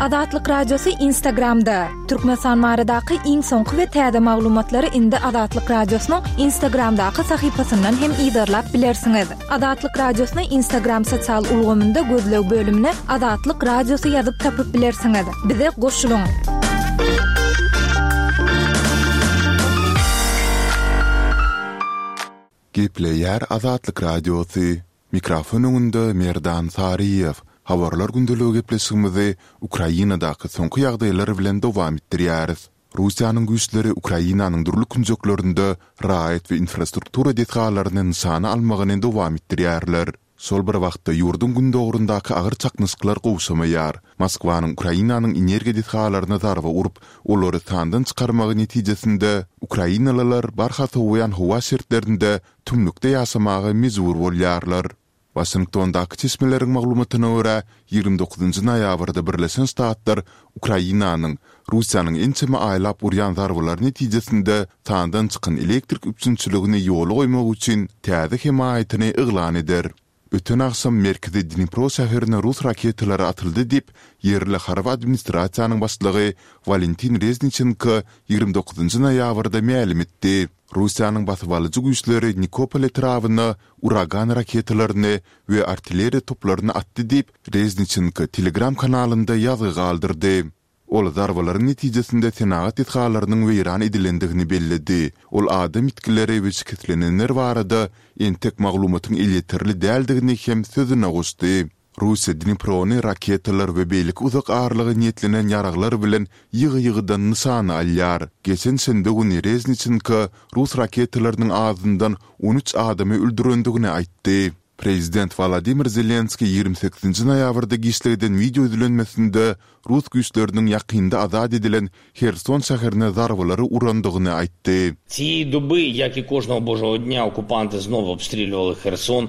Azatlyk Radiosy Instagramda! Türkmenistan baradaky iň soňky we täze maglumatlary indi Azatlyk Radiosynyň Instagramdaky sahypasyndan hem yzarlap bilersiňiz. Azatlyk Radiosyny Instagram sosial ulgamynda gözleg bölümine Azatlyk Radiosy ýazyp tapyp bilersiňiz. Bize goşulyň! Gepleýär Azatlyk Radiosy, Mikrofon öňünde Merdan Saryýew. Habarlar gündeligi gepleşigimizi Ukrainadaky soňky ýagdaýlar bilen dowam etdirýäris. Russiýanyň güýçleri Ukrainanyň dürli künjeklerinde raýat we infrastruktura desgalaryny nyşana almagyny dowam etdirýärler. Şol bir wagtda ýurduň gündogaryndaky agyr çaknyşyklar gowşamaýar. Moskwanyň Ukrainanyň energiýa desgalaryna zarba urup, olary sandan çykarmagy netijesinde, ukrainalylar barha sowaýan howa şertlerinde tümlükde ýaşamaga mejbur bolýarlar. Waşingtondaky çeşmeleriň maglumatyna görä, 29 noýabrda Birleşen Ştatlar Ukrainanyň Russiýanyň ençeme aýlap urýan zarbalary netijesinde sandan çykan elektrik üpjünçiligini ýola goýmak üçin täze hemaýatyny yglan eder. Öten agşam merkezi Dnipro şäherine rus raketalary atyldy diýip, ýerli harby administrasiýanyň başlygy Walentin Rezniçenko 29 noýabrda mälim etdi. Russiýanyň basybalyjy güýçleri Nikopol etrabyna Uragan raketalaryny we artilleriýa toplaryny atdy diýip, Rezniçenko Telegram kanalynda ýazgy galdyrdy. Ol zarbalaryň netijesinde senagat desgalarynyň weýran edilendigini belledi. Ol adam ýitgileri we şikeslenenler barada entek maglumatyň elýeterli däldigini hem sözüne goşdy. Russiýa Dniprony raketalar we beýleki uzak aralyga niýetlenen ýaraglar bilen ýygy-ýygydan nyşana alýar. Geçen şenbe güni Rezniçenko rus raketalarynyň azyndan 13 adamy öldürendigini aýtdy. Prezident Wolodymyr Zelenskiý 28 noýabrda giçlik eden wideo ýüzlenmesinde rus güýçleriniň ýakynda azat edilen Herson şäherine zarbalary urandygyny aýtdy. Цієї доби, як і кожного божого дня, окупанти знову обстрілювали Херсон.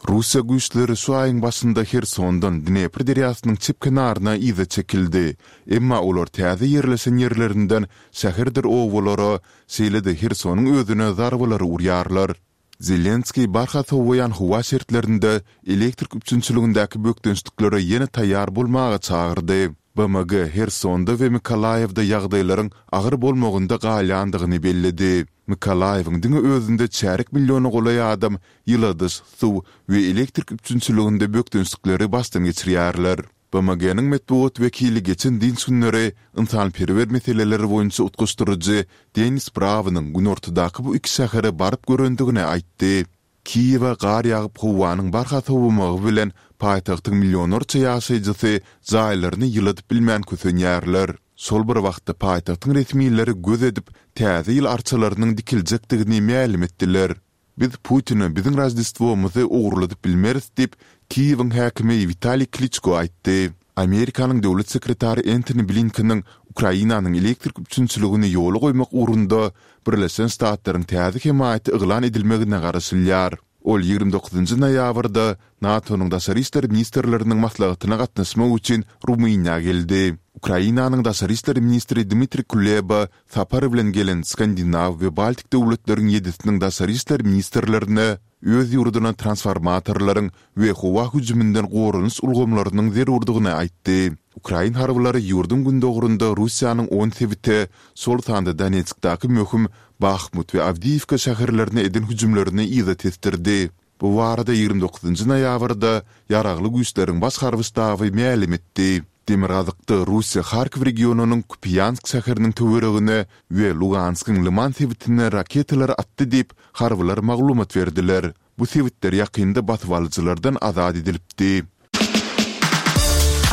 Russiýa güýçleri şu aýyň başynda Hersondan Dnepr derýasynyň çep kenaryna yza çekildi. Emma olar täze ýerleşen ýerlerinden şäherdir obalara, şeýle-de Hersonyň özüne zarbalary urýarlar. Zelenskiý barha sowaýan howa şertlerinde elektrik üpjünçiligindäki bökdençliklere ýene taýýar bolmaga çagyrdy. BMG Hersonda we Mykolaýewde ýagdaýlaryň agyr bolmagynda galýandygyny belledi. Mykolaýewiň diňe özünde çärýek milliona golaý adam ýyladyş, suw we elektrik üpjünçiliginde bökdençlikleri başdan geçirýärler. BMG-niň metbugat wekili geçen dynç günleri ynsanperwer meseleleri boýunça utgaşdyryjy Denis Brawnyň günortadaky bu iki şähere baryp görendigini aýtdy. Kiýewe gar ýagyp, howanyň barha sowamagy bilen paýtagtyň millionlarça ýaşaýjysy jaýlaryny ýyladyp bilmän kösenýärler. Şol bir wagtda paýtagtyň resmileri göz edip, täze ýyl arçalarynyň dikiljekdigini mälim etdiler. Biz Putine biziň Roždestwomyzy ogurladyp bilmeris diýip, Kiýewiň häkimi Witaliý Kliçko aýtdy. Amerikanyň döwlet sekretary Entoni Blinkeniň Ukrainanyň elektrik üpjünçiligini ýola goýmak ugrunda Birleşen Ştatlaryň täze hemaýaty yglan edilmegine garaşylýar. Ol 29 noýabrda NATO-nyň daşary işler ministrleriniň maslahatyna gatnaşmak üçin Rumyniýa geldi. Ukrainanyň daşary işler ministri Dmitriý Kuleba sapar bilen gelen Skandinaw we Baltik döwletleriň ýedisiniň daşary işler ministrlerine öz ýurduna transformatorlaryň we howa hüjüminden goranyş ulgamlarynyň zerurdygyny aýtdy. Ukrain harbylary ýurduň gündogarynda Russiýanyň on sebite, şol sanda Donetskdaky möhüm Bahmut we Awdiýiwka şäherlerine eden hüjümlerini yza tesdirdi. Bu barada 29 noýabrda Ýaragly Güýçleriň Baş harby ştaby mälim etdi. Demirgazykda Russiýa Harkiw regionynyň Kupýansk şäheriniň töweregine we Luganskyň Lyman sebitine raketalary atdy diýip, harbylar maglumat berdiler. Bu sebitler ýakynda basybalyjylardan azat edilipdi.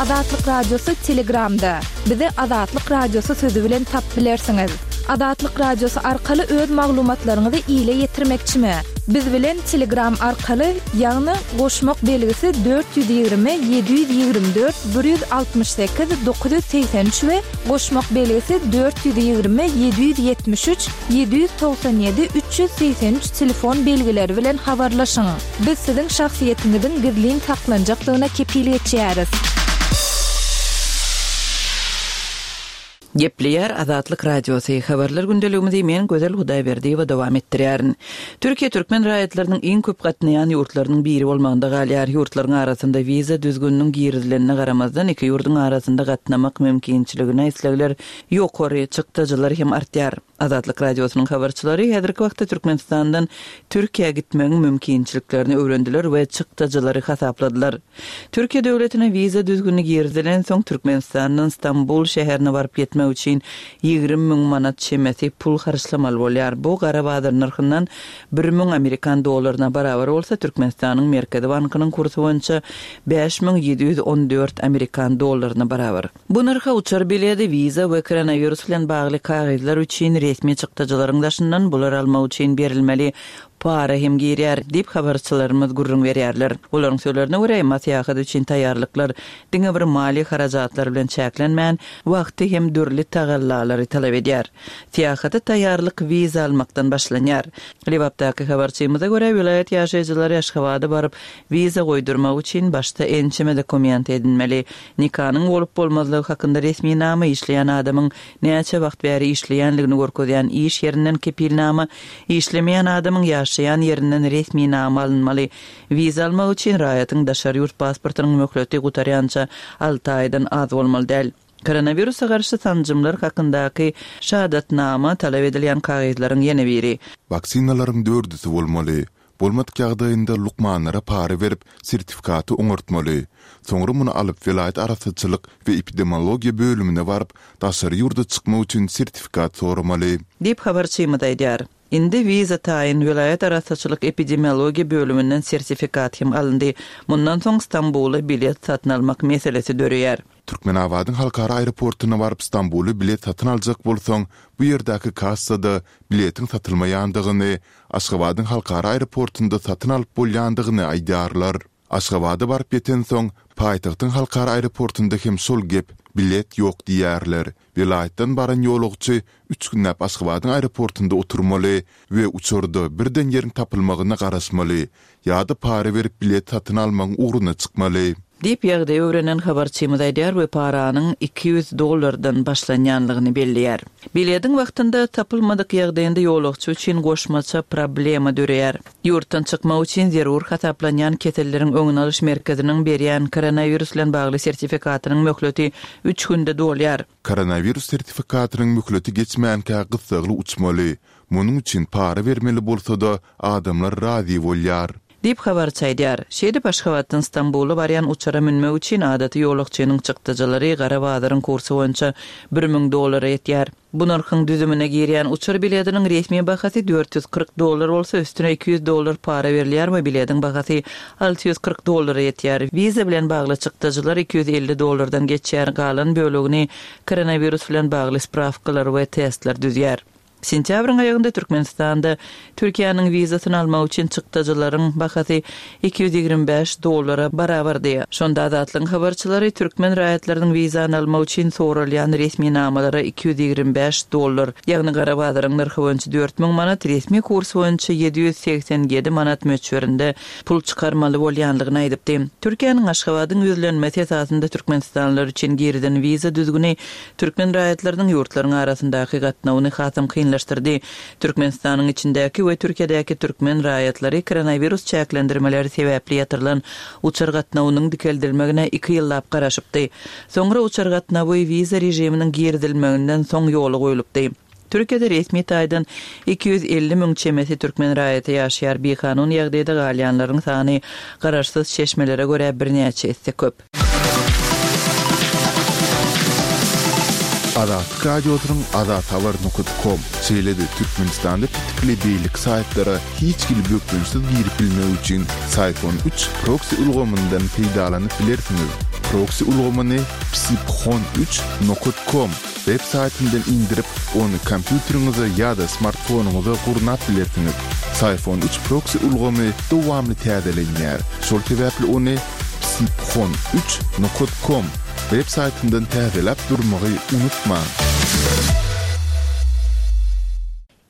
Azatlyk Radiosy Telegramda. Bizi Azatlyk Radiosy sözi bilen tapyp bilersiňiz. Azatlyk Radiosy arkaly öz maglumatlaryňyzy ile ýetirmekçimi? Biz bilen Telegram arkaly, ýagny goşmak belgisi 420 724 168 983 we goşmak belgisi 420 773 797 383 telefon belgileri bilen habarlaşyň. Biz siziň şahsyýetiňiziň gizlin saklanjakdygyna kepil geçýäris. Gepleýär Azatlyk Radiosy, Habarlar gündeligimizi men Gözel Hudaýberdiýewa dowam etdirýärin. Türkiýe türkmen raýatlarynyň iň köp gatnaýan ýurtlarynyň biri bolmagynda galýar. Ýurtlaryň arasynda wiza düzgüniniň girizilenine garamazdan, iki ýurduň arasynda gatnamak mümkinçiligine islegler ýokary, çykdajylar hem artýar. Azatlyk Radiosynyň habarçylary häzirki wagtda Türkmenistandan Türkiýä gitmegiň mümkinçiliklerini öwrendiler we çykdajylary hasapladylar. Türkiýe döwletine wiza düzgüni girizilensoň, Türkmenistandan Stambul şäherine baryp ýetmek üçin 20 müň manat çemesi pul harçlamaly bolýar. Bu gara bazar nyrhyndan 1000 amerikan dollaryna barabar bolsa, Türkmenistanyň Merkezi bankynyň kursy boýunça 5714 amerikan dollaryna barabar. Bu nyrha uçar biledi, wiza we koronawirus bilen bagly kagyzlar üçin resmi çykdajylaryň daşyndan bulary almak üçin berilmeli para hem girýär, diýip, habarçylarymyz gürrüň berýärler. Olaryň sözlerine görä, emma syýahat üçin taýýarlyklar diňe bir maliýe harajatlary bilen çäklenmän, wagty hem dürli tagallalary talap edýär. Syýahata taýýarlyk wiza almakdan başlanýar. Lebapdaky habarçymyza görä, welaýat ýaşaýjylary Aşgabada baryp, wiza goýdurmak üçin başda ençeme dokument edinmeli. Nikanyň bolup-bolmazlygy hakynda resminama, işleýän adamyň näçe wagt bäri işleýänligini görkezýän iş ýerinden kepilnama, işlemeýän adamyň ýaşaýan ýerinden resminama alynmaly. Wiza almak üçin raýatyň daşary ýurt pasportynyň möhleti gutarýança alty aýdan az bolmaly däl. Koronawirusa garşy sanjymlar hakyndaky şahadatnama talap edilýän kagyzlaryň ýene biri. Waksinalaryň dördüsi bolmaly. Bolmadyk ýagdaýynda lukmanlara para berip, sertifikaty oňartmaly. Soňra muny alyp, welaýat arassaçylyk we epidemiologiýa bölümine baryp, daşary ýurda çykmak üçin sertifikat soramaly. Diýip, habarçymyz aýdýar. Indi wiza taýyn, welaýat arassaçylyk epidemiologiýa bölüminden sertifikat hem alyndy. Mundan soň Stambula bilet satyn almak meselesi döreýär. Türkmenabadyň halkara aeroportuna baryp Stambula bilet satyn aljak bolsaň, bu ýerdäki kassada biletiň satylmaýandygyny, Aşgabadyň halkara aeroportunda satyn alyp bolýandygyny aýdýarlar. Aşgabada baryp ýetensoň, paýtagtyň halkara aeroportunda hem şol gep, bilet ýok diýýärler. Welaýatdan baran ýolagçy üç günläp Aşgabadyň aeroportunda oturmaly we uçarda birden ýeriň tapylmagyna garaşmaly ýa-da para berip bilet satyn almagyň ugruna çykmaly. Diýip, ýagdaýy öwrenen habarçymyz aýdýar we paranyň 200 dollardan başlanýanlygyny belleýär. Bilediň wagtynda tapylmadyk ýagdaýynda ýolagçy üçin goşmaça problema döreýär. Ýurtdan çykmak üçin zerur hasaplanýan keselleriň öňüni alyş merkeziniň berýän koronawirus bilen bagly sertifikatynyň möhleti üç günde dolýar. Koronawirus sertifikatynyň möhleti geçmänkä gyssagly uçmaly. Munuň üçin para bermeli bolsa-da, adamlar razy bolýar. Diýip, habarçy aýdýar. Şeýdip, Aşgabatdan Stambula barýan uçara münmek üçin adaty ýolagçynyň çykdajylary gara bazaryň kursy boýunça 1000 dollara ýetýär. Bu nyrhyň düzümine girýän uçar bilediniň resmi bahasy 440 dollar bolsa, üstüne 200 dollar para berilýär we bilediň bahasy 640 dollara ýetýär. Wiza bilen bagly çykdajylar 250 dollardan geçýär, galan bölegini koronawirus bilen bagly sprawkalar we testler düzýär. Sentýabryň aýagynda Türkmenistanda Türkiýäniň wizasyny almak üçin çykdajylaryň bahasy 225 dollara barabardy. Şonda Azatlygyň habarçylary türkmen raýatlarynyň wizany almak üçin soralýan resminamalara 225 dollar, ýagny gara bazaryň nyrhy boýunça 4000 manat, resmi kurs boýunça 787 manat möçberinde pul çykarmaly bolýanlygyny aýdypdy. Türkiýäniň Aşgabadyň ýüzlenmesi esasynda türkmenistanlylar üçin girizen wiza düzgüni türkmen raýatlarynyň ýurtlaryň arasyndaky gatnawyny hasam kynlaşdyrdy. Türkmenistanyň içindäki we Türkiýedäki türkmen raýatlary koronawirus çäklendirmeleri sebäpli ýatyrylan uçar gatnawynyň dikeldilmegine iki ýyllap garaşypdy. Soňra uçar gatnawy wiza režiminiň girizilmeginden soň ýola goýlupdy. Türkiýede resmi taýdan 250 müň çemesi türkmen raýaty ýaşaýar, bikanun ýagdaýda galýanlaryň sany garaşsyz çeşmelere görä birnäçe esse köp. Azatlyk Radiosynyň Azathabar nokat kom, şeýle-de Türkmenistanda petikli beýleki saýtlara hiç hili bökdençsiz girip bilmek üçin Syfon üç proksi ulgamyndan peýdalanyp bilersiňiz. Proksi ulgamyny psiphon üç nokat kom web saýtyndan indirip, ony kompýuteriňize ýa-da smartfonyňyza gurnap bilersiňiz. Syfon üç proksi ulgamy dowamly täzelenýär, şol sebäpli ony psiphon üç nokat kom web saýtyndan täzeläp durmagy unutmaň.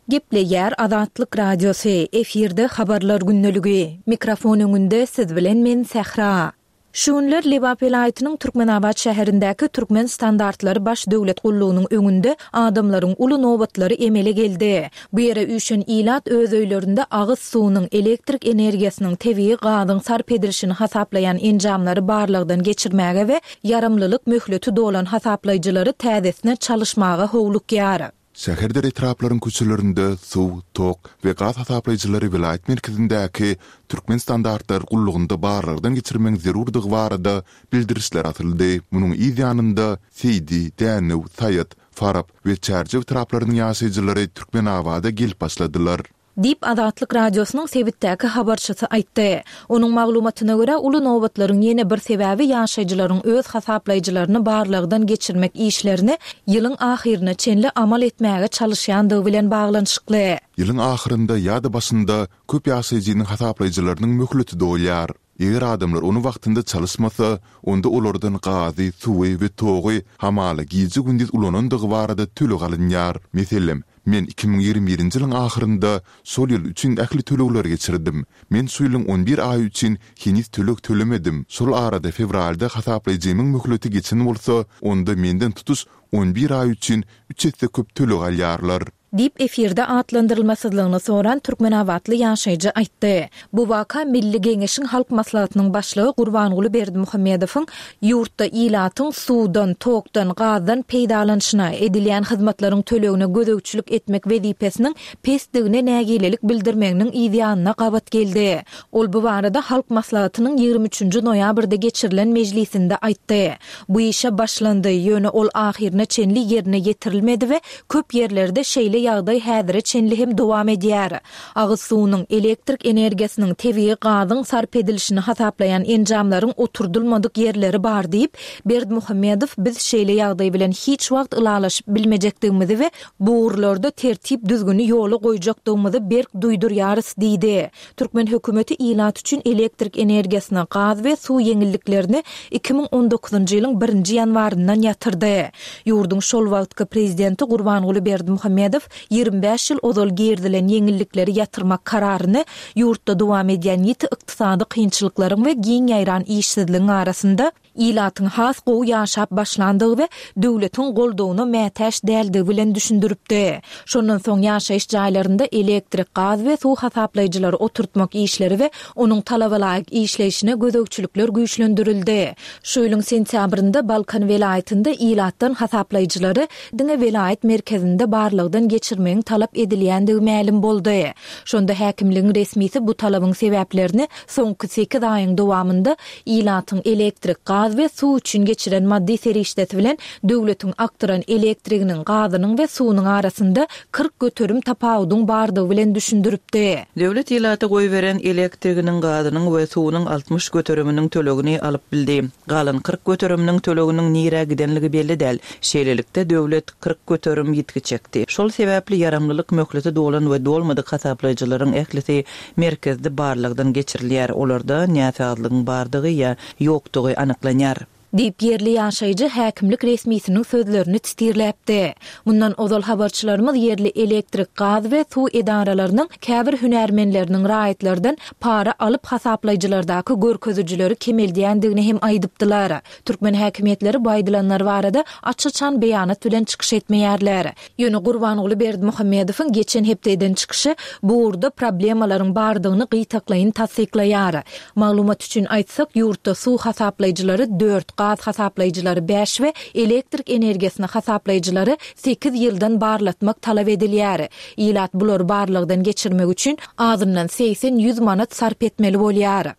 Gepleýär Azatlyk Radiosy, efirde Habarlar gündeligi. Mikrofon öňünde siz bilen men Sähra. Şu günler Lebap welaýatynyň Türkmenabat şäherindäki Türkmen standartlary baş döwlet gullugynyň öňünde adamlaryň uly nobatlary emele geldi. Bu ýere üýşen ilat öz öýlerinde agyz suwunyň, elektrik energiýasynyň, tebigy gazyň sarp edilişini hasaplaýan enjamlary barlagdan geçirmäge we ýaramlylyk möhleti dolan hasaplaýjylary täzesine çalyşmaga howlukýar. Şäherdir etraplaryň köçelerinde suw, tok we gaz hasaplaýjylary welaýat merkezindäki Türkmenstandartlary gullugynda barlagdan geçirmegiň zerurdygy barada bildirişler asyldy. Munuň yz ýanynda Seýdi, Dänew, Saýat, Farap we Çärjew etraplarynyň ýaşaýjylary Türkmenabada gelip başladylar. Diýip, Azatlyk Radiosynyň sebitdäki habarçysy aýtdy. Onuň maglumatyna görä, uly nobatlaryň ýene bir sebäbi ýaşaýjylaryň öz hasaplaýjylaryny barlagdan geçirmek işlerini ýylyň ahyryna çenli amal etmäge çalyşýandygy bilen baglanyşykly. Ýylyň ahyrynda ýa-da başynda köp ýaşaýjynyň hasaplaýjylarynyň möhleti dolýar. Eger adamlar ony wagtynda çalyşmasa, onda olardan gazy, suwy we togy hamala gije-gündiz ulanandygy barada töleg alynýar. Meselem, men 2021-nji ýylyň ahyrynda şol ýyl üçin ähli tölegleri geçirdim. Men şu ýylyň on bir aýy üçin heniz töleg tölemedim. Şol arada fewralda hasaplaýjymyň möhleti geçen bolsa, onda menden tutuş on bir aý üçin üç esse köp töleg alýarlar. Diýip, efirde atlandyrylmasyzlygyny soran türkmenabatly ýaşaýjy aýtdy. Bu waka Milli Geňeşiň Halk Maslahatynyň başlygy Gurbanguly Berdimuhamedowyň ýurtda ilatyň suwdan, tokdan, gazdan peýdalanyşyna, edilýän hyzmatlaryň tölegine gözegçilik etmek wezipesiniň pesdigine nägilelik bildirmeginiň yzýanyna gabat geldi. Ol bu barada Halk Maslahatynyň 23 üçünji noýabrda geçirilen mejlisinde aýtdy. Bu işe başlandy, ýöne ol ahyryna çenli ýerine ýetirilmedi we Köp ýerlerde şeýle ýagdaý häzire çenli hem dowam edýär. Agyz suwunyň, elektrik energiýasynyň, tebigy gazyň sarp edilişini hasaplaýan enjamlaryň oturdylmadyk ýerleri bar diýip, Berdimuhamedow biz şeýle ýagdaý bilen hiç wagt ylalaşyp bilmejekdigimizi we bu ugurlarda tertip-düzgüni ýola goýjakdygymyzy berk duýdurýarys diýdi. Türkmen hökümeti ilat üçin elektrik energiýasyna, gaz we suw ýeňilliklerini 2019-njy ýylyň birinji ýanwaryndan ýatyrdy. Ýurduň şol wagtky prezidenti Gurbanguly Berdimuhamedow 25 ýyl ozal girizilen ýeňillikleri ýatyrmak kararyny ýurtda dowam edýän ýiti ykdysady kynçylyklaryň we giň ýaýran işsizligiň arasynda ilatyň has gowy ýaşap başlandygy we döwletiň goldawyna mätäç däldigi bilen düşündiripdi. Şondan soň ýaşaýyş jaýlarynda elektrik, gaz we suw hasaplaýjylary oturtmak işleri we onuň talabalaýyk işleýşine gözegçilikler güýçlendirildi. Şu ýylyň sentýabrynda Balkan welaýatynda ilatdan hasaplaýjylary diňe welaýat merkezinde barlagdan geçirmegiň talap edilýändigi mälim boldy. Şonda häkimligiň resmisi bu talabyň sebäplerini soňky sekiz aýyň dowamynda Ilatyň elektrik, gaz we suw üçin geçiren maddy serişdesi bilen döwletiň akdyran elektriginiň, gazynyň we suwunyň arasynda 40% tapawudyň bardygy bilen düşündiripdi. Döwlet ilata goýberen elektriginiň, gazynyň we suwunyň 60 göteriminiň tölegini alyp bildi. Galan 40 göteriminiň töleginiň nirä gidenligi belli däl. Şeýlelikde, döwlet 40% ýitgi çekdi. Şol sebäpli ýaramlylyk möhleti dolan we dolmadyk hasaplaýjylaryň ählisi merkezde barlagdan geçirilýär, olarda näsazlygyň bardygy ýa ýokdugy anyklanýar. Diýip, ýerli ýaşaýjy häkimlik resmisiniň sözlerini titirläpdi. Mundan ozal habarçylarymyz ýerli elektrik, gaz we suw edaralarynyň käbir hünärmenleriniň raýatlardan para alyp hasaplaýjylardaky görkezijileri kemeldýändigini hem aýdypdylar. Türkmen häkimiýetleri bu aýdylanlar barada aç-açan beýanat bilen çykyş etmeýärler. Ýöne Gurbanguly Berdimuhamedowyň geçen hepde eden çykyşy bu ugurda problemalaryň bardygyny gytaklaýyn tassyklaýar. Maglumat üçin aýtsak, ýurtda suw hasaplaýjylary dört, gaz hasaplaýjylary bäş we elektrik energiýasyny hasaplaýjylary sekiz ýyldan barlatmak talap edilýär. Ilat bulary barlagdan geçirmek üçin azyndan segsen-ýüz manat sarp etmeli bolýar.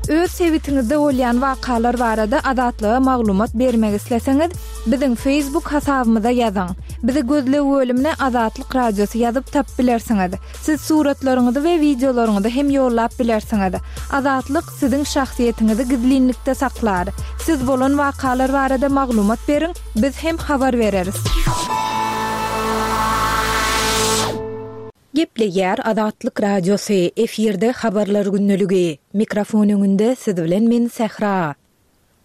Öz sebitiňizde bolýan wakalar barada Azatlyga maglumat bermek isleseňiz, biziň Facebook hasabymyza ýazyň. Bizi gözleg bölümine Azatlyk Radiosy ýazyp tapyp bilersiňiz. Siz suratlaryňyzy we wideolaryňyzy hem ýollap bilersiňiz. Azatlyk siziň şahsyýetiňizi gizlinlikde saklar. Siz bolan wakalar barada maglumat beriň, Biz hem habar bereris. Gepleýär Azatlyk Radiosy, efirde Habarlar gündeligi. Mikrofon öňünde siz bilen men Sähra.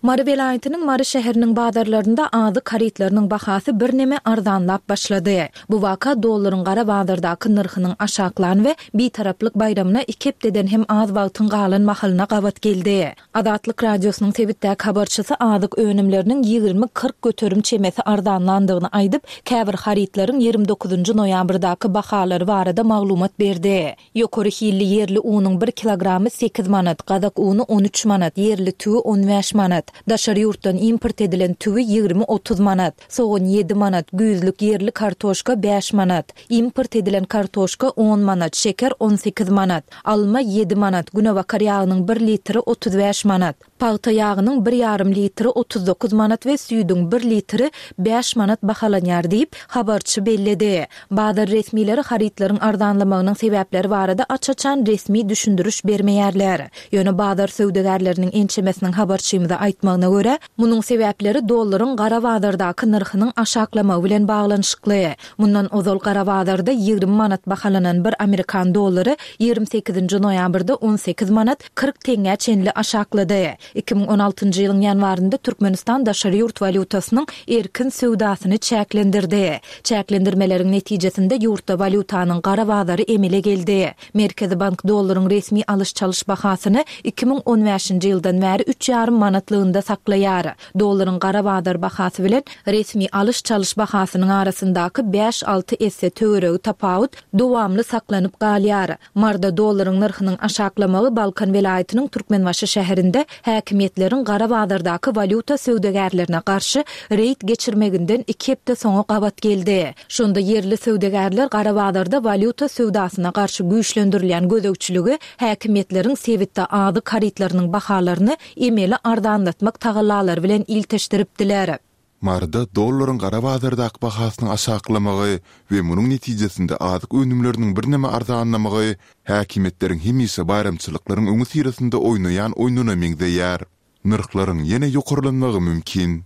Mary welaýatynyň Mary şäheriniň bazarlarynda azyk harytlarynyň bahasy birneme arzanlap başlady. Bu waka dollaryň gara bazardaky nyrhynyň aşaklan we Bitaraplyk baýramyna iki hepdeden hem az wagtyň galan mahalyna gabat geldi. Azatlyk Radiosynyň sebitdäki habarçysy azyk önümleriniň 20-40 göterim çemesi arzanlandygyny aýdyp, käbir harytlaryň 29-njy noýabrdaky bahalary barada maglumat berdi. Ýokary hilli ýerli unuň bir kilogramy sekiz manat, gazak uny on üç manat, ýerli tüwi on bäş manat. Daşary ýurtdan import edilen tüwi 20-30 manat, sogan ýedi manat, güýzlük ýerli kartoşka bäş manat, import edilen kartoşka on manat, şeker on sekiz manat, alma ýedi manat, günebakar ýagynyň bir litri 35 manat. Pagta ýagynyň bir ýarym litri 39 manat we süýdüň bir litri bäş manat bahalanýar diýip, habarçy belledi. Bazar resmileri harytlaryň arzanlamagynyň sebäpleri barada aç-açan resmi düşündiriş bermeýärler. Ýöne bazar söwdagärleriniň ençemesiniň habarçymyza aýtmagyna görä, munuň sebäpleri dollaryň gara bazardaky nyrhynyň aşaklamagy bilen baglanyşykly. Mundan ozal gara bazarda 20 manat bahalanan bir amerikan dollary 28-nji noýabrda 18 manat 40 teňňä çenli aşaklady. 2016-njy ýylyň ýanwarynda Türkmenistan daşary ýurt walýutasynyň erkin söwdasyny çäklendirdi. Çäklendirmeleriň netijesinde ýurtda walýutanyň gara bazary emele geldi. Merkezi bank dollaryň resmi alyş-çalyş bahasyny 2015-nji ýyldan bäri üç ýarym manatlygynda saklaýar. Dollaryň gara bazar bahasy bilen resmi alyş-çalyş bahasynyň arasyndaky bäş-alty esse töweregi tapawut dowamly saklanyp galýar. Maryda dollaryň nyrhynyň aşaklamagy Balkan welaýatynyň Türkmenbaşy şäherinde häkimiýetleriň gara bazardaky walýuta söwdagärlerine garşy reýd geçirmeginden iki hepde soňa gabat geldi. Şonda ýerli söwdagärler gara bazarda walýuta söwdasyna garşy güýçlendirilýän gözegçiligi häkimiýetleriň sebitde azyk harytlarynyň bahalaryny emeli arzanlatmak tagallalary bilen ilteşdiripdiler. Maryda dollaryň gara bazardaky bahasynyň aşaklamagy we munuň netijesinde azyk önümleriniň birneme arzanlamagy häkimiýetleriň hemişe baýramçylyklaryň öňüsyrasynda oýnaýan oýnuna meňzeýär. Nyrhlaryň ýene ýokarlanmagy mümkin.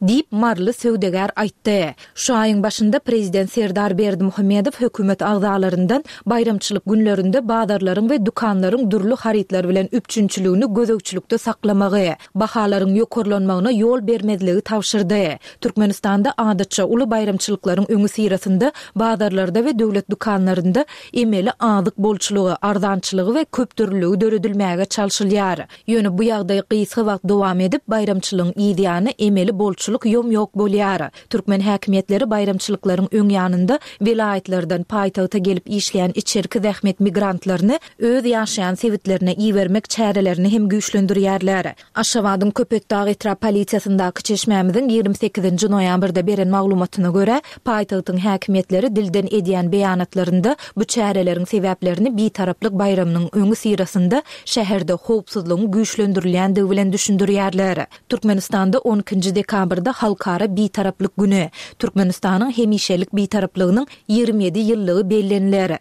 Diýip, maryly söwdagär aýtdy. Şu aýyň başynda prezident Serdar Berdimuhamedow hökümet agzalaryndan baýramçylyk günlerinde bazarlaryň we dükanlaryň dürli harytlar bilen üpjünçiligini gözegçilikde saklamagy, bahalaryň ýokarlanmagyna ýol bermezligi tabşyrdy. Türkmenistanda adatça uly baýramçylyklaryň öňüsyrasynda bazarlarda we döwlet dükanlarynda emeli azyk bolçulygy, arzançylygy we köpdürlüligi döredilmäge çalşylýar. Ýöne bu ýagdaý gysga wagt dowam edip, baýramçylygyň yz ýany emeli bolçulyk ýom-ýok bolýar. Türkmen häkimiýetleri baýramçylyklaryň öň ýanynda welaýatlardan paýtagta gelip işleýän içerki zähmet migrantlaryny öz ýaşaýan sebitlerine ibermek çärelerini hem güýçlendirýärler. Aşgabadyň Köpetdag etrap polisiýasyndaky çeşmämiziň 28-nji noýabrda beren maglumatyna görä, paýtagtyň häkimiýetleri dilden edýän beýanatlarynda bu çäreleriň sebäplerini Bitaraplyk baýramynyň öňüsyrasynda şäherde howpsuzlygyň güýçlendirilýändigi bilen düşündirýärler. Türkmenistanda on ikinji dekabrda Halkara Bitaraplyk güni, Türkmenistanyň hemişelik Bitaraplygynyň 27 ýyllygy belleniler.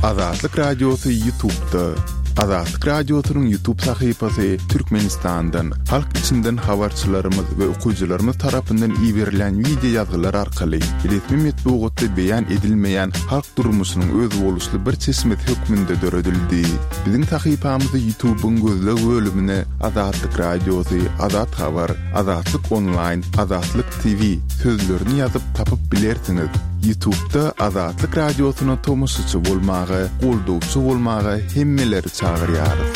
Azatlyk Radiosy Ýutubda. Azatlyk Radiosynyň Ýutub sahypasy Türkmenistandan, halk içinden habarçylarymyz we okyjylarymyz tarapyndan iberilen wideo ýazgylar arkaly resmi metbugatda beýan edilmeýän halk durmuşynyň özboluşly bir çeşmesi hökmünde döredildi. Biziň sahypamyzy Ýutubyň gözleg bölümine Azatlyk Radiosy, Azat Habar, Azatlyk Onlaýn, Azatlyk TV sözlerini ýazyp tapyp bilersiňiz. Ýutubda Azatlyk Radiosyna tomaşaçy bolmaga, goldawçy bolmaga hemmeleri çagyrýarys.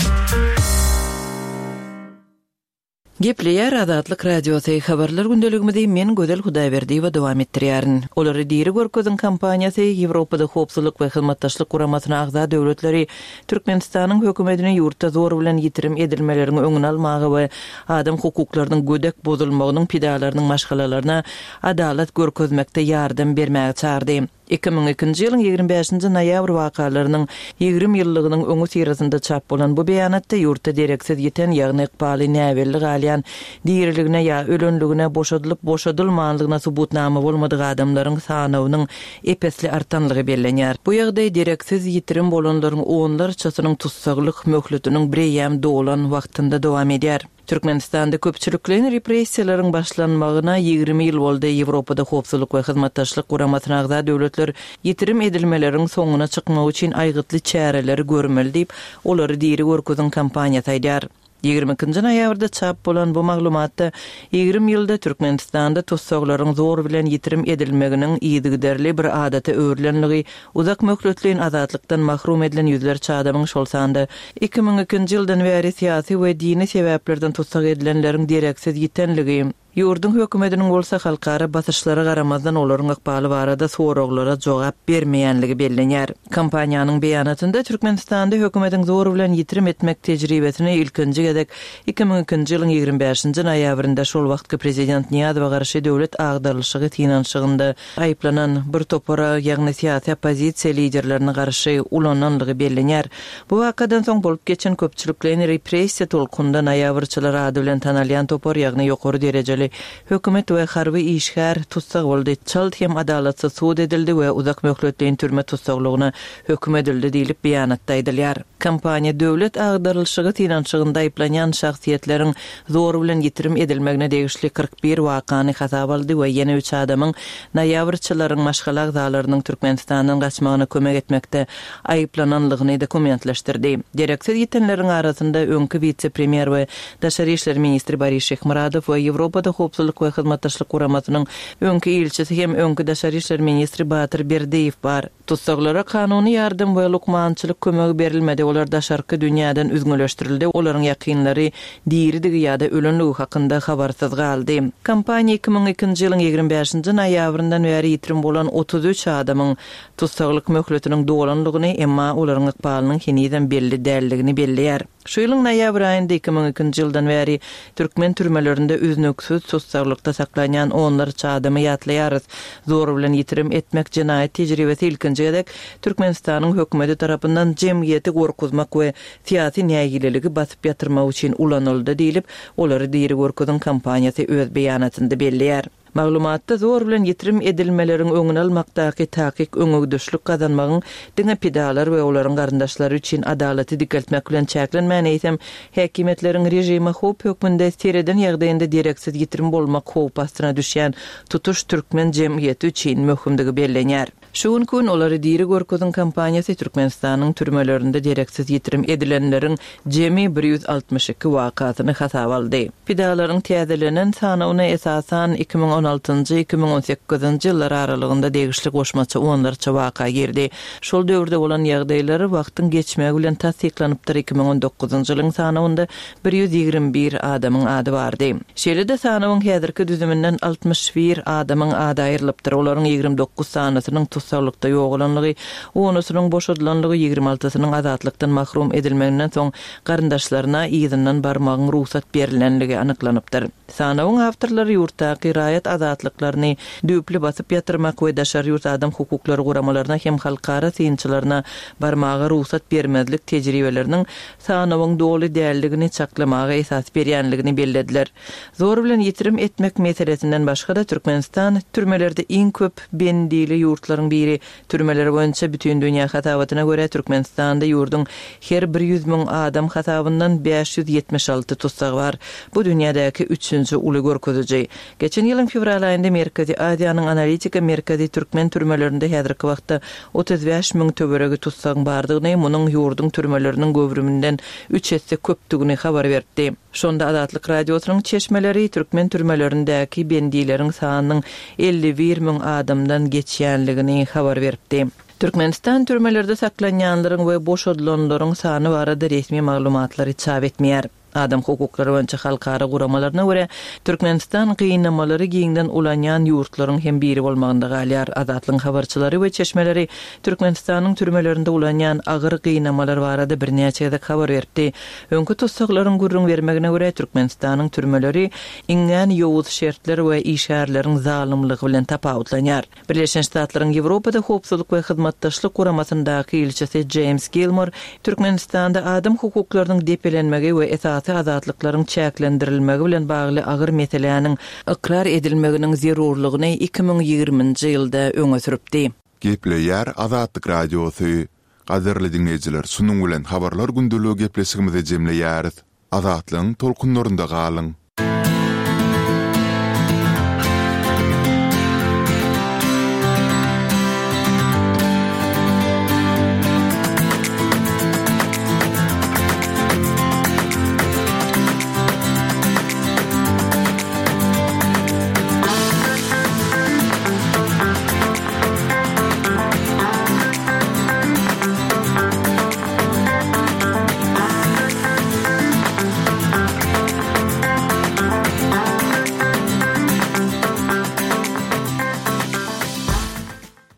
Gepleýär Azatlyk Radiosy, Habarlar gündeligimizi men Gözel Hudaýberdiýewa dowam etdirýärin. Olary diri görkeziň kampaniýasy Ýewropada Howpsuzlyk we Hyzmatdaşlyk Guramasyna agza döwletleri Türkmenistanyň hökümetini ýurtda zor bilen ýitirim edilmeleriň öňüni almaga we adam hukuklarynyň gödek bozulmagynyň pidalarynyň maşgalalaryna adalat görkezmekde ýardam bermäge çagyrdy. 2002-nji ýylyň 25-nji noýabr wakalarynyň 20 ýyllygynyň öňüsyrasynda çap bolan bu beýanatda ýurtda dereksiz ýiten, ýagny ykbaly näbelli galýan, diriligine ýa ölenligine, boşadylyp-boşadylmanlygyna subutnama bolmadyk adamlaryň sanawynyň ep-esli artanlygy bellenýär. Bu ýagdaý dereksiz ýitirim bolanlaryň onlarçasynyň tussaglyk möhletiniň bireýýäm dolan wagtynda dowam edýär. Türkmenistanda köpçülikleýin repressiýalaryň başlanmagyna 20 ýyl boldy. Ýewropada Howpsuzlyk we Hyzmatdaşlyk Guramasyna agza döwletler ýitirim edilmeleriň soňuna çykmak üçin aýgytly çäreleri görmeli diýip, Olary diri görkeziň kampaniýasy aýdýar. 22-nji noýabrda çap bolan bu maglumatda 20 ýylda Türkmenistanda tussaglaryň zor bilen ýitirim edilmeginiň yzygiderli bir adata öwrülenligi, uzak möhletleýin azatlykdan mahrum edilen ýüzlerçe adamyň, şol sanda 2002-nji ýyldan bäri syýasy we dini sebäplerden tussag edilenleriň dereksiz ýitenligi, Ýurduň hökümetiniň bolsa halkara basyşlara garamazdan olaryň ykbaly barada soraglara jogap bermeýänligi bellenýär. Kompaniýanyň beýanatynda Türkmenistanda hökümetiň zor bilen ýitirim etmek tejribesini ilkinji gezek 2002-nji ýylyň 25-nji noýabrynda şol wagtky prezident Nyýazowa garşy döwlet agdarylyşygy synanyşygynda aýyplanan bir topara, ýagny syýasy oppozisiýa liderlerine garşy ulananlygy bellenýär. Bu wakadan soň bolup geçen köpçülikleýin repressiýa tolkunynda noýabrçylar ady bilen tanalýan topar, ýagny ýokary derejeli hökümet we harby işgär tussag boldy, çalt hem adalatsyz sud edildi we uzak möhletleýin türme tussaglygyna höküm edildi diýlip, beýanatda aýdylýar. Kompaniýa döwlet agdarylyşygy synanyşygynda aýyplanýan şahsyýetleriň zor bilen ýitirim edilmegine degişli 41 wakany hasaba aldy we ýene üç adamyň noýabrçylaryň maşgala agzalarynyň Türkmenistandan gaçmagyna kömek etmekde aýyplananlygyny dokumentleşdirdi. Dereksiz ýitenleriň arasynda öňki wise-premýer we daşary işler ministri Boris Şyhmyradow we Ýewropada Howpsuzlyk we Hyzmatdaşlyk Guramasynyň öňki ilçisi hem öňki daşary işler ministri Batyr Berdiýew bar. Tussaglara kanuny ýardam we lukmançylyk kömegi berilmedi, olar daşarky dünýäden üzňeleşdirildi, olaryň ýakynlary diridigi ýa-da ölenligi hakynda habarsyz galdy. Kompaniýa 2002-nji ýylyň 25-nji noýabryndan bäri ýitirim bolan 33 adamyň tussaglyk möhletiniň dolanlygyny, emma olaryň ykbalynyň henizem belli däldigini belleýär. Şu ýylyň noýabr aýynda 2002-nji ýyldan bäri türkmen türmelerinde üznüksiz tussaglykda saklanýan onlarça adamy ýatlaýarys. Zor bilen ýitirim etmek jenaýat tejribesi ilkinji gezek Türkmenistanyň hökümeti tarapyndan jemgyýeti gorkuzmak we syýasy nägileligi basyp ýatyrmak üçin ulanyldy diýlip, Olary diri görkeziň kampaniýasy öz beýanatynda belleýär. Maglumatda zor bilen ýitirim edilmeleriň öňüni almakdaky takyk öňegidişlik gazanmagyň diňe pidalar we olaryň garyndaşlary üçin adalaty dikeltmek bilen çäklenmän, eýsem, häkimiýetleriň režime howp hökmünde sereden ýagdaýynda dereksiz ýitirim bolmak howpy astyna düşýän tutuş türkmen jemgyýeti üçin möhümdigi bellenýär. Şu günki gün Olary diri görkeziň kampaniýasy Türkmenistanyň türmelerinde dereksiz ýitirim edilenleriň jemi 162 wakasyny hasaba aldy. Pidalaryň täzelenen sanawyna esasan 2016-njy, 2018-nji ýyllar aralygynda degişli goşmaça onlarça waka girdi. Şol döwürde bolan ýagdaýlar wagtyň geçmegi bilen tassyklanypdyr, 2019-njy ýylyň sanawynda 121 adamyň ady bardy. Şeýle-de sanawyň häzirki düzüminden 61 adamyň ady aýrylypdyr, olaryň 29 sanysynyň tussaglykda ýogalanlygy, onusynyň boşadylanlygy, 26-synyň azatlykdan mahrum edilmeginden soň garyndaşlaryna yzyndan barmagyň rugsat berlenligi anyklanypdyr. Sanawyň awtorlary ýurtdaky raýat azatlyklaryny düýpli basyp ýatyrmak we daşary ýurt adam hukuklary guramalaryna hem halkara synçylaryna barmaga rugsat bermezlik tejribeleriniň sanawyň doly däldigini çaklamaga esas berýänligini bellediler. Zor bilen ýitirim etmek meselesinden başga-da Türkmenistan türmelerde iň köp bendili ýurtlaryň biri. Türmeler boýunça bütindünýä hasabatyna görä Türkmenistanda ýurduň her bir 100 müň adam hasabyndan 576 tussag bar. Bu dünýädäki üçünji uly görkeziji. Geçen ýylyň fewral aýynda Merkezi Aziýanyň analitika merkezi türkmen türmelerinde häzirki wagtda 35 müň töweregi tussagyň bardygyny, munuň ýurduň türmeleriniň göwrüminden üç esse köpdügini habar beripdi. Şonda Azatlyk Radiosynyň çeşmeleri türkmen türmelerindäki bendileriň sanynyň 51 müň adamdan geçýänligini habar beripdi. Türkmenistan türmelerde saklanýanlaryň we boşadylanlaryň sany barada resmi maglumatlary çap etmeýär. Adam hukuklary boýunça halkara guramalaryna görä, Türkmenistan gynamalary giňden ulanýan ýurtlaryň hem biri bolmagynda galýar. Azatlygyň habarçylary we çeşmeleri Türkmenistanyň türmelerinde ulanýan agyr gynamalar barada birnäçe gezek habar beripdi. Öňki tussaglaryň gürrüň bermegine görä, Türkmenistanyň türmeleri iňňän ýowuz şertler we işgärleriň zalymlygy bilen tapawutlanýar. Birleşen Ştatlaryň Ýewropada Howpsuzlyk we Hyzmatdaşlyk Guramasyndaky ilçisi Jeýms Gilmor Türkmenistanda adam hukuklarynyň depelenmegi we esasy azatlyklaryň çäklendirilmegi bilen bagly agyr meseläniň ykrar edilmeginiň zerurlygyny 2020-nji ýylda öňe sürüpdi. Gepleýär Azatlyk Radiosy. Gadyrly diňleýjiler şunuň bilen Habarlar gündeligi gepleşigimizi jemleýäris. Azatlygyň tolkunlarynda galyň!